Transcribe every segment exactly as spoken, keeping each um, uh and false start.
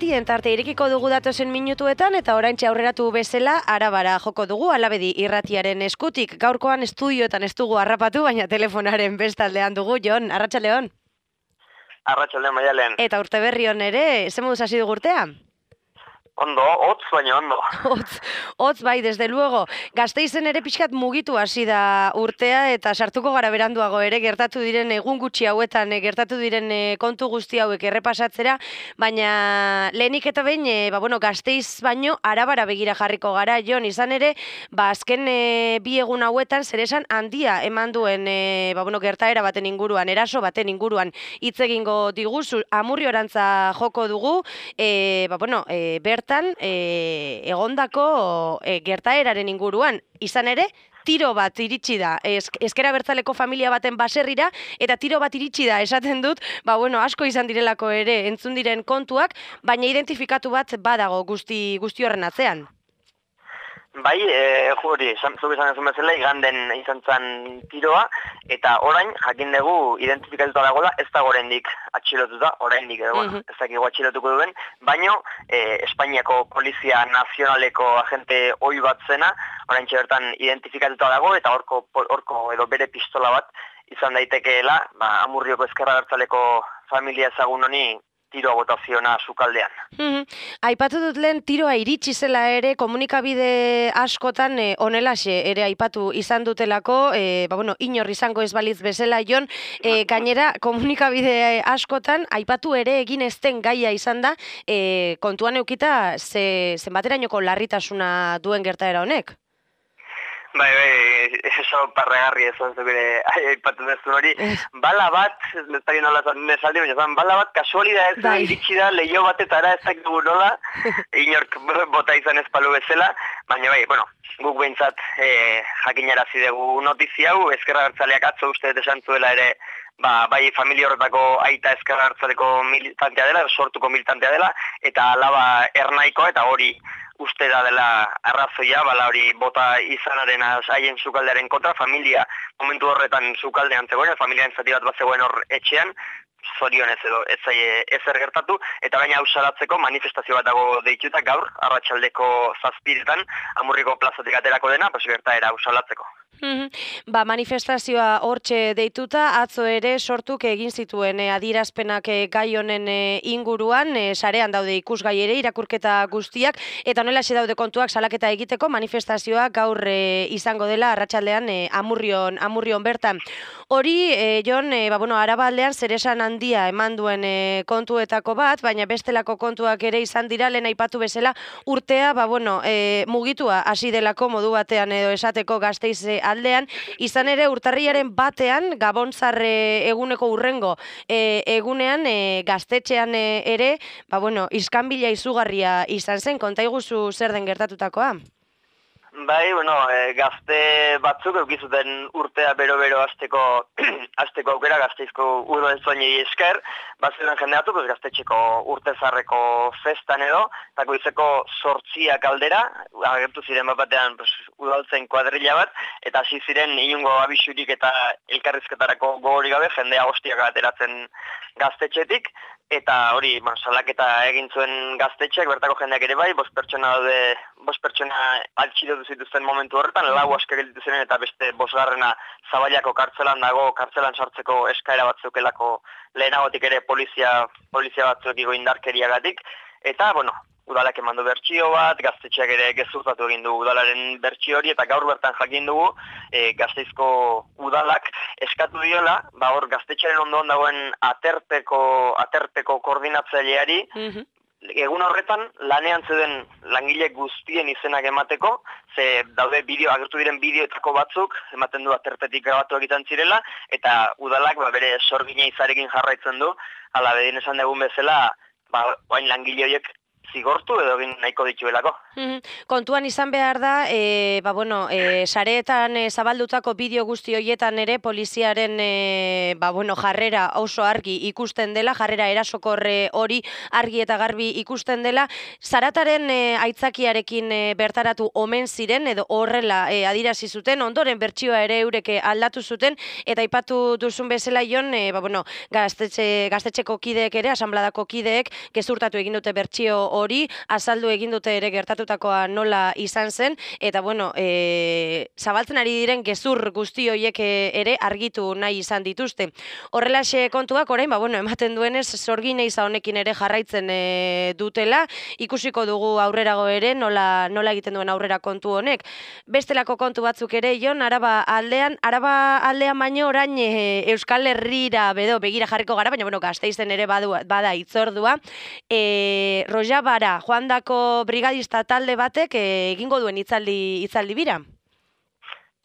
irratien tarte irekiko dugu datozen minutuetan eta oraintxe aurreratu bezala Arabara joko dugu Alabedi irratiaren eskutik. Gaurkoan estudioetan ez dugu harrapatu, baina telefonaren bestaldean dugu. Jon, arratsaldeon. Arratsaldeon, Maialen. Eta urte berri hon ere, ze moduz hasi dugu urtea? Ondo, hotz baina ondo. Hotz, hotz bai, desde luego. Gasteizen ere pixkat mugitu hasi da urtea eta sartuko gara beranduago ere gertatu diren egun gutxi hauetan, gertatu diren kontu guzti hauek errepasatzera, baina lehenik eta behin, e, ba, bueno, Gasteiz baino Arabara begira jarriko gara, Jon, izan ere, ba, azken e, bi egun hauetan zeresan handia eman duen e, ba, bueno, gertaera baten inguruan, eraso baten inguruan hitz egingo diguzu, Amurriorantza joko dugu, e, ba, bueno, e, bertan E, egondako e, gertaeraren inguruan, izan ere, tiro bat iritsi da, ezker abertzaleko familia baten baserrira, eta tiro bat iritsi da, esaten dut, ba bueno, asko izan direlako ere entzun diren kontuak, baina identifikatu bat badago guzti, guzti horren atzean. Bai, e, hori, zuk izan ezun bezala, iganden izan zen tiroa, eta orain, jakin dugu, identifikatuta dagoela, ez da oraindik atxilotuta, oraindik edo, mm -hmm. ez dakigu atxilotuko duen, baino, e, Espainiako Polizia Nazionaleko agente ohi bat zena, orain bertan identifikatuta dago, eta horko, horko edo bere pistola bat izan daitekeela, ba, Amurrioko ezkerra bertzaleko familia ezagun honi, tiroa botaziona sukaldean. Mm-hmm. Aipatu dut lehen tiroa iritsi zela ere komunikabide askotan e, onelaxe ere aipatu izan dutelako, e, ba, bueno, inor izango ez balitz bezala, Jon, e, gainera komunikabide askotan aipatu ere egin ezten gaia izan da, e, kontuan eukita ze, zenbaterainoko larritasuna duen gertaera honek? Bai, bai, eso parregarri ez onzu bere aipatu dezun hori. Bala bat, ez dakit nola nesaldi, baina zan, bala bat kasualidad ez bai. Iritsi da leio batetara ez dakit dugu nola, inork bota izan ez palu bezala, baina bai, bueno, guk behintzat eh, jakinarazi dugu notizia hau, ezkerra bertzaleak atzo uste esan zuela ere, ba, bai familia horretako aita ezkerra bertzaleko militantea dela, sortuko militantea dela, eta alaba ernaikoa, eta hori uste da dela arrazoia, bala hori bota izanaren haien sukaldearen kontra, familia momentu horretan sukaldean zegoen, familiaren zati bat bat zegoen hor etxean, zorionez edo ez zaie ezer gertatu, eta baina hau salatzeko manifestazio bat dago deituta gaur, arratsaldeko zazpiretan, Amurriko plazatik aterako dena, pues gertaera hau salatzeko. Mm-hmm. Ba, manifestazioa hortxe deituta, atzo ere sortuk egin zituen e, adierazpenak e, gai honen e, inguruan, e, sarean daude ikusgai ere irakurketa guztiak, eta honelaxe daude kontuak salaketa egiteko manifestazioa gaur e, izango dela arratsaldean e, Amurrion, Amurrion bertan. Hori, e, Jon, e, ba, bueno, Arabaldean zeresan handia eman duen e, kontuetako bat, baina bestelako kontuak ere izan dira, lehen aipatu bezala urtea, ba, bueno, e, mugitua hasi delako modu batean edo esateko Gasteiz aldean, izan ere urtarriaren batean, Gabontzarre eguneko urrengo e, egunean e, gaztetxean e, ere, ba bueno, iskanbila izugarria izan zen, konta iguzu zer den gertatutakoa? Bai, bueno, e, gazte batzuk eukizuten urtea bero-bero azteko, azteko aukera Gasteizko udaltzainei esker, bazen jendeatu, pues, gaztetxeko urtezarreko festan edo, eta goizeko sortziak aldera, agertu ziren bat batean pues, udaltzain kuadrilla bat, eta hasi ziren inungo abisurik eta elkarrizketarako gogorik gabe, jendea hostiak ateratzen gaztetxetik, eta hori, bueno, salaketa egin zuen gaztetxeak, bertako jendeak ere bai, bost pertsona daude, bost pertsona altxidotu zituzten momentu horretan, lau aske gelditu ziren eta beste bosgarrena Zaballako kartzelan dago, kartzelan sartzeko eskaera batzukelako lehenagotik ere polizia, polizia batzuekiko indarkeriagatik, eta, bueno, udalak emandu bertsio bat, gaztetxeak ere gezurtatu egin du udalaren bertsio hori, eta gaur bertan jakin dugu e, Gasteizko udalak eskatu diola, ba hor gaztetxearen ondoan dagoen aterpeko, aterpeko koordinatzaileari, mm-hmm. Egun horretan lanean zeuden langile guztien izenak emateko, ze daude bideo, agertu diren bideoetako batzuk, ematen du aterpetik grabatu egiten zirela, eta udalak ba, bere sorgina izarekin jarraitzen du, ala bedin esan dugun bezala, ba, oain langile horiek zigortu edo egin nahiko dituelako. Kontuan izan behar da, e, ba, bueno, e, sareetan e, zabaldutako bideo guzti horietan ere poliziaren e, ba, bueno, jarrera oso argi ikusten dela, jarrera erasokorre hori argi eta garbi ikusten dela, zarataren e, aitzakiarekin e, bertaratu omen ziren edo horrela e, adirazi zuten, ondoren bertsioa ere eureke aldatu zuten, eta aipatu duzun bezala Jon, e, ba, bueno, gaztetxe, gaztetxeko kideek ere, asanbladako kideek, gezurtatu egin dute bertsio hori, azaldu egin dute ere gertatutakoa nola izan zen, eta bueno, e, zabaltzen ari diren gezur guzti horiek ere argitu nahi izan dituzte. Horrelaxe kontuak orain, ba, bueno, ematen duenez, sorgin eiza honekin ere jarraitzen e, dutela, ikusiko dugu aurrerago ere, nola, nola egiten duen aurrera kontu honek. Bestelako kontu batzuk ere, Jon, Araba aldean, Araba aldean baino orain e, Euskal Herrira bedo begira jarriko gara, baina bueno, Gasteizen ere badu, bada itzordua, e, Rojabara, joandako brigadista talde batek e, egingo duen hitzaldi hitzaldi bira.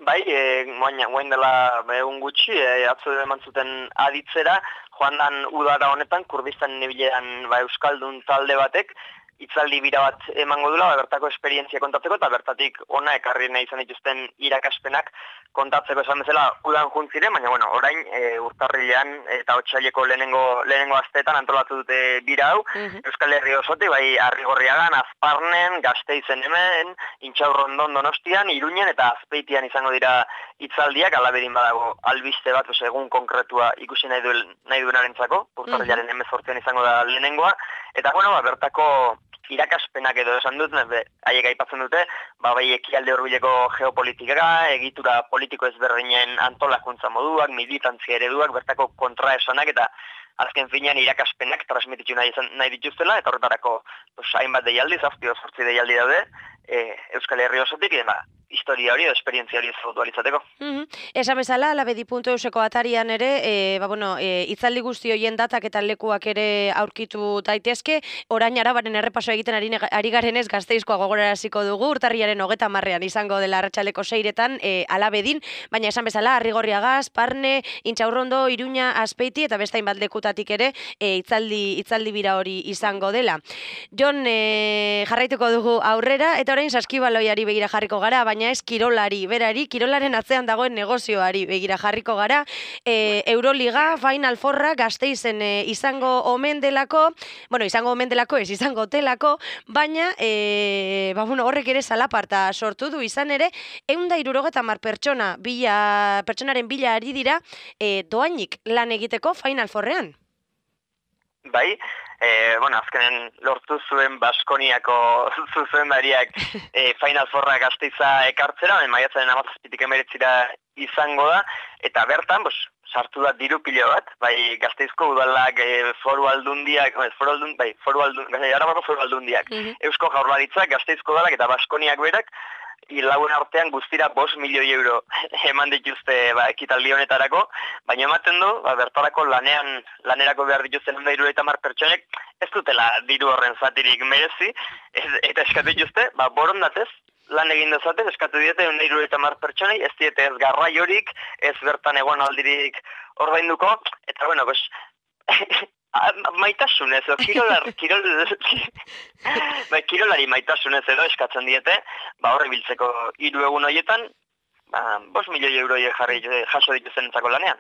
Bai, e, moain dela egun gutxi, e, atzo eman zuten aditzera, joan dan udara honetan, Kurdistan nebilean ba, Euskaldun talde batek, hitzaldi bira bat emango dula, ba, bertako esperientzia kontatzeko, eta bertatik ona ekarri nahi izan dituzten irakaspenak kontatzeko esan bezala udan juntziren, baina bueno, orain e, urtarrilean eta otsaileko lehenengo, lehenengo asteetan antolatu dute bira hau, uh-huh. Euskal Herri osotik, bai Arrigorriagan, Azparnen, Gasteizen hemen, Intxaurrondon Donostian, Iruñen eta Azpeitian izango dira hitzaldiak, alabedin badago albiste bat, egun konkretua ikusi nahi, duen, nahi duenarentzako, urtarrilaren uh-huh. hemezortzian izango da lehenengoa, eta bueno, ba, bertako irakaspenak edo esan dut, haiek aipatzen dute, ba, bai ekialde hurbileko geopolitika, egitura politiko ezberdinen antolakuntza moduak, militantzia ereduak, bertako kontraesanak eta azken finean irakaspenak transmititu nahi, nahi dituztela, eta horretarako pues, hainbat deialdi, zazpi zortzi deialdi daude, e, Euskal Herri osotik, eta historia hori, esperientzia hori ezagutu alizateko. Mm-hmm. Esan bezala, alabedi puntu euseko atarian ere, e, ba, bueno, e, itzaldi guzti hoien datak eta lekuak ere aurkitu daitezke, orain Arabaren errepaso egiten ari, ari garenez Gasteizkoa gogoraraziko dugu, urtarriaren hogeta marrean izango dela arratsaleko seiretan e, alabedin, baina esan bezala, Arrigorriaga, Azparne, Intxaurrondo, Iruña, Azpeiti eta beste hainbat lekutatik ere e, itzaldi, itzaldi bira hori izango dela. Jon, e, jarraituko dugu aurrera, eta orain saskibaloiari begira jarriko gara, baina ez kirolari, berari, kirolaren atzean dagoen negozioari begira jarriko gara, e, Euroliga, Final Fourra, Gasteizen e, izango omen delako, bueno, izango omen delako, ez izango telako, baina, e, ba, bueno, horrek ere zalaparta sortu du izan ere, ehun eta hirurogeta hamar pertsona, bila, pertsonaren bila ari dira, e, doainik lan egiteko Final Fourrean. Bai, e, bueno, azkenen lortu zuen Baskoniako zuzendariak e, Final Fourra Gasteiza ekartzera, maiatzaren hamazazpitik emeretzira izango da, eta bertan, bos, sartu da diru pilo bat, bai Gasteizko udalak, e, foru aldundiak, foru aldun, bai, foru aldun, Arabako foru aldundiak, uh-huh. Eusko Jaurlaritzak, Gasteizko udalak eta Baskoniak berak, lagun artean guztira bost milioi euro eman dituzte ba, ekitaldi honetarako, baina ematen du, ba, bertarako lanean, lanerako behar dituzten ehun eta hirurogeita hamar pertsonek, ez dutela diru horren zatirik merezi, ez, eta eskatu dituzte, ba, borondatez, lan egin dezaten, eskatu diete ehun eta hirurogeita hamar pertsonei, ez diete ez garraiorik, ez bertan egon aldirik ordainduko, eta bueno, pues, maitasunez, o, kirolar, kirol, ba, kirolari maitasunez edo eskatzen diete, ba, horre biltzeko hiru egun horietan, ba, bost milioi euro jarri jaso dituzten entzako lanean.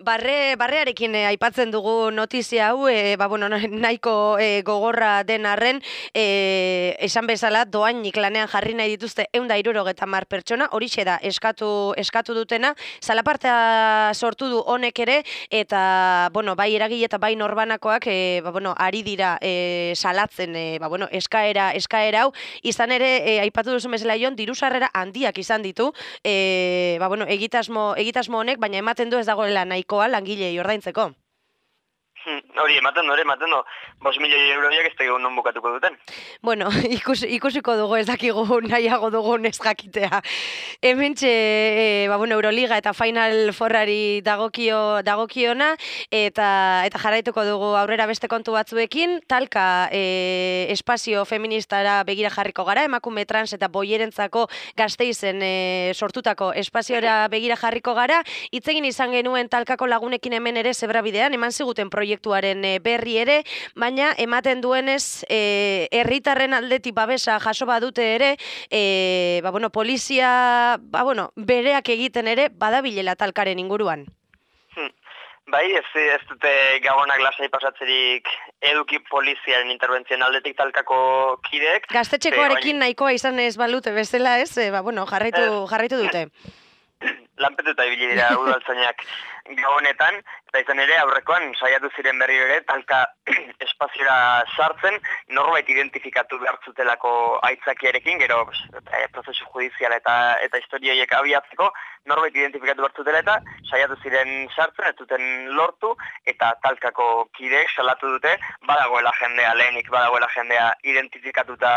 Barre, barrearekin eh, aipatzen dugu notizia hau, eh, ba, bueno, nahiko eh, gogorra den arren, eh, esan bezala doainik lanean jarri nahi dituzte ehun eta hirurogeta hamar pertsona, horixe da eskatu, eskatu dutena, zalapartea sortu du honek ere, eta bueno, bai eragile eta bai norbanakoak eh, ba, bueno, ari dira eh, salatzen eh, ba, bueno, eskaera, eskaera hau, izan ere eh, aipatu duzu bezala Jon, diru sarrera handiak izan ditu, E, ba, bueno, egitasmo, egitasmo honek, baina ematen du ez dagoela nahikoa langilei ordaintzeko. Hori, ematen du, ematen du, bost milioi euroiak ez da non bukatuko duten. Bueno, ikus, ikusiko dugu ez dakigu nahiago dugun ez jakitea. Hementxe, e, ba, bueno, Euroliga eta Final Fourrari dagokio, dagokiona, eta, eta jarraituko dugu aurrera beste kontu batzuekin, talka e, espazio feministara begira jarriko gara, emakume trans eta boierentzako Gasteizen e, sortutako espaziora begira jarriko gara, hitzegin izan genuen talkako lagunekin hemen ere zebrabidean, eman ziguten proiektu proiektuaren berri ere, baina ematen duenez herritarren aldetik babesa jaso badute ere, e, ba, bueno, polizia ba, bueno, bereak egiten ere badabilela talkaren inguruan. Hmm. Bai, ez, ez dute gabonak lasai pasatzerik eduki poliziaren interbentzioen aldetik talkako kideek. Gaztetxekoarekin nahikoa izan ez balute bezala ez, e, ba, bueno, jarraitu, jarraitu dute. Lanpetuta ibili dira udaltzainak gabonetan, eta izan ere aurrekoan saiatu ziren berriro ere talka espaziora sartzen, norbait identifikatu behar zutelako aitzakiarekin, gero e, prozesu judiziala eta eta historioiek abiatzeko, norbait identifikatu behar zutela eta saiatu ziren sartzen, ez duten lortu, eta talkako kideek salatu dute, badagoela jendea lehenik, badagoela jendea identifikatuta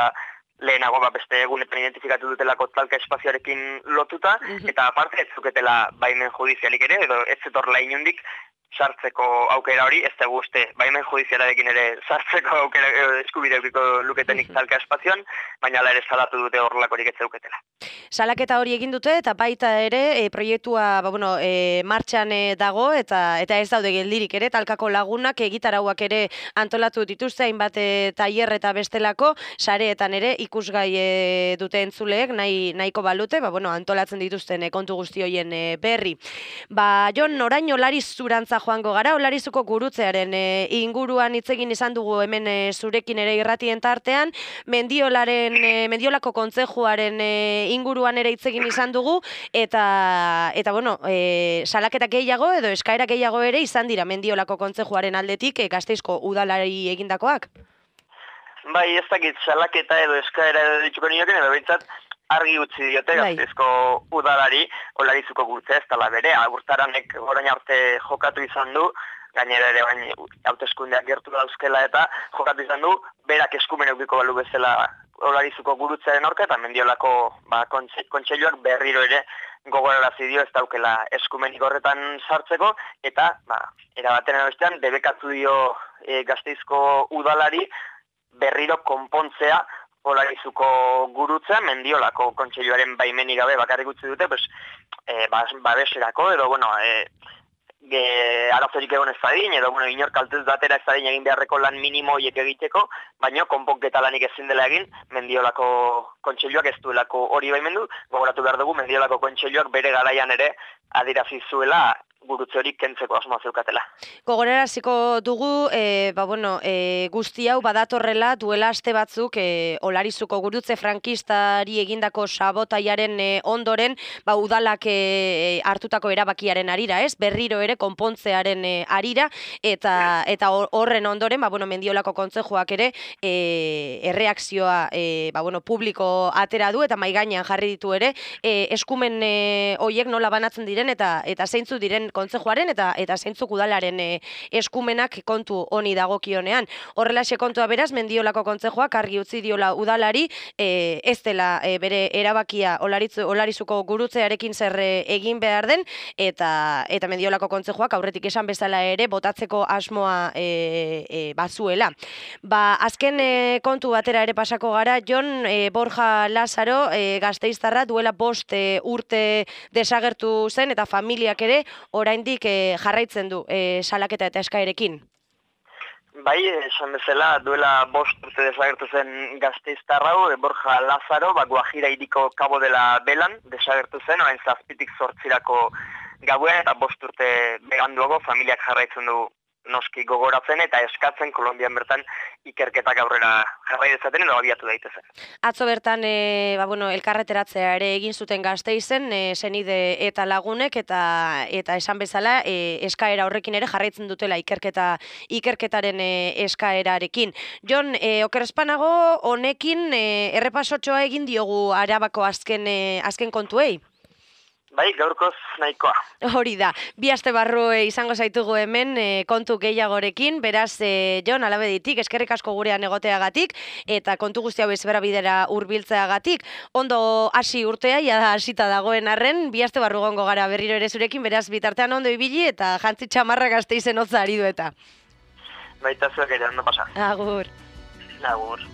lehenago ba, beste egunetan identifikatu dutelako talka espazioarekin lotuta, eta aparte ez zuketela baimen judizialik ere, edo ez zetorla inundik sartzeko aukera hori, ez dugu uste baimen judizialarekin ere sartzeko aukera eskubide eukiko luketenik talka espazioan, baina ala ere salatu dute horrelakorik ez zeuketela. Salaketa hori egin dute eta baita ere e, proiektua ba, bueno, e, martxan e, dago eta eta ez daude geldirik ere talkako lagunak egitarauak ere antolatu dituzte hainbat e, tailer eta bestelako sareetan ere ikusgai e, dute entzuleek nahi, nahiko balute, ba, bueno, antolatzen dituzten e, kontu guzti hoien e, berri. Ba, Jon, orain Olarizurantza joango gara, Olarizuko gurutzearen e, inguruan hitz egin izan dugu hemen e, zurekin ere irratien tartean, Mendiolaren, e, Mendiolako kontzejuaren e, inguruan ere hitz egin izan dugu, eta, eta bueno, e, salaketa gehiago edo eskaera gehiago ere izan dira Mendiolako kontzejuaren aldetik e, Gasteizko udalari egindakoak? Bai, ez dakit salaketa edo eskaera edo dituko nioken, edo behintzat argi utzi diote Gasteizko udalari Olarizuko gurtzea ez dela bere, Urtaranek orain arte jokatu izan du, gainera ere bain hauteskundeak gertu dauzkela eta jokatu izan du, berak eskumen eukiko balu bezala Olarizuko gurutzearen aurka eta Mendiolako ba, kontseiluak berriro ere gogorarazi dio ez daukela eskumenik horretan sartzeko eta ba, erabaten bestean debekatu dio e, Gasteizko udalari berriro konpontzea Olarizuko gurutzea Mendiolako kontseiluaren baimenik gabe bakarrik utzi dute, pues, e, babeserako edo, bueno, e, ge, arazorik egon ez dadin, edo, bueno, inor kaltez datera ez dadin egin beharreko lan minimo horiek egiteko, baina konponketa lanik ezin dela egin Mendiolako kontseiluak ez duelako hori baimendu, gogoratu behar dugu Mendiolako kontseiluak bere garaian ere adirazi zuela gurutze hori kentzeko asmoa zeukatela. Gogoraraziko dugu, e, ba, bueno, e, guzti hau badatorrela duela aste batzuk e, Olarizuko gurutze frankistari egindako sabotaiaren e, ondoren, ba, udalak e, hartutako erabakiaren arira, ez? Berriro ere konpontzearen e, arira, eta eta horren ondoren, ba, bueno, Mendiolako kontzejuak ere e, erreakzioa e, ba, bueno, publiko atera du, eta maigainean jarri ditu ere, e, eskumen e, hoiek nola banatzen diren, eta eta zeintzu diren kontzejuaren eta eta zeintzuk udalaren e, eskumenak kontu honi dagokionean. Horrelaxe kontua beraz, Mendiolako kontzejuak argi utzi diola udalari, e, ez dela e, bere erabakia Olaritzu, Olarizuko gurutzearekin zer e, egin behar den, eta eta Mendiolako kontzejuak aurretik esan bezala ere botatzeko asmoa e, e, bazuela. Ba, azken e, kontu batera ere pasako gara, Jon, e, Borja Lazaro, e, Gasteiztarra duela bost e, urte desagertu zen, eta familiak ere oraindik e, jarraitzen du e, salaketa eta eskaerekin. Bai, esan bezala duela bost urte desagertu zen Gasteiztar hau, Borja Lazaro, ba, Guajira hiriko Cabo de la Velan desagertu zen, orain zazpitik zortzirako gauean, eta bost urte beganduago familiak jarraitzen du noski gogoratzen eta eskatzen Kolonbian bertan ikerketak aurrera jarrai dezaten edo abiatu daitezen. Atzo bertan e, ba, bueno, elkarreteratzea ere egin zuten Gasteizen, e, senide eta lagunek, eta eta esan bezala e, eskaera horrekin ere jarraitzen dutela ikerketa ikerketaren e, eskaerarekin. Jon, e, okerrespanago honekin e, errepasotxoa egin diogu Arabako azken e, azken kontuei. Bai, gaurkoz nahikoa. Hori da, bi aste barru e, izango zaitugu hemen e, kontu gehiagorekin, beraz, e, Jon, alabeditik, eskerrik asko gurean egoteagatik, eta kontu guzti hau ezbera bidera hurbiltzeagatik. Ondo hasi urtea, ja hasita dagoen arren, bi aste barru gongo gara berriro ere zurekin, beraz, bitartean ondo ibili, eta jantzi txamarra Gasteizen hotza ari du eta. Baita zuek ere, ondo pasa. Agur. Agur.